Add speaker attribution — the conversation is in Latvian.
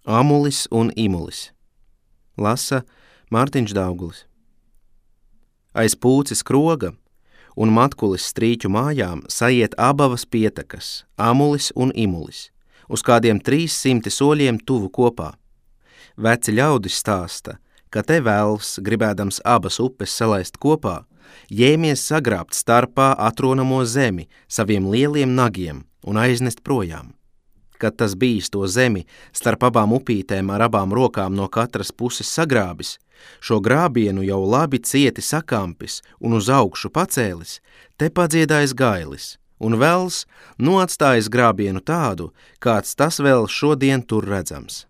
Speaker 1: Amulis un Imulis. Lasa Mārtiņš Daugulis. Aiz Pūces kroga un Matkulis strīķu mājām saiet abavas pietekas, Amulis un Imulis, uz kādiem 300 soļiem tuvu kopā. Veci ļaudis stāsta, ka te velns, gribēdams abas upes salaist kopā, ņēmies sagrābt starpā atronamo zemi saviem lieliem nagiem un aiznest projām. Kad tas bijis to zemi starp abām upītēm ar abām rokām no katras puses sagrābis, šo grābienu jau labi cieti sakāmpis un uz augšu pacēlis, te padziedājis gailis, un velns atstājis grābienu tādu, kāds tas vēl šodien tur redzams.